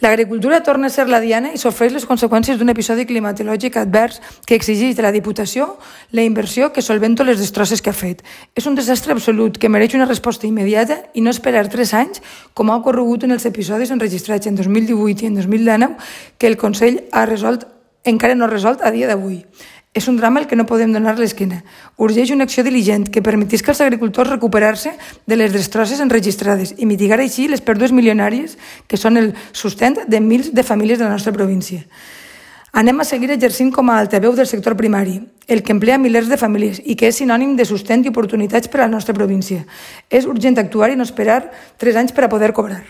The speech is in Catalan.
L'agricultura torna a ser la diana i sofreix les conseqüències d'un episodi climatològic advers que exigeix de la Diputació la inversió que solventa les destrosses que ha fet. És un desastre absolut que mereix una resposta immediata i no esperar 3 anys, com ha ocorregut en els episodis enregistrats en 2018 i en 2019 que el Consell encara no ha resolt a dia d'avui. És un drama al que no podem donar l'esquena. Urgeix una acció diligent que permetís als agricultors recuperar-se de les destrosses enregistrades i mitigar així les pèrdues milionàries que són el sustent de milers de famílies de la nostra província. Anem a seguir exercint com a altaveu del sector primari, el que emplea milers de famílies i que és sinònim de sustent i oportunitats per a la nostra província. És urgent actuar i no esperar 3 anys per a poder cobrar.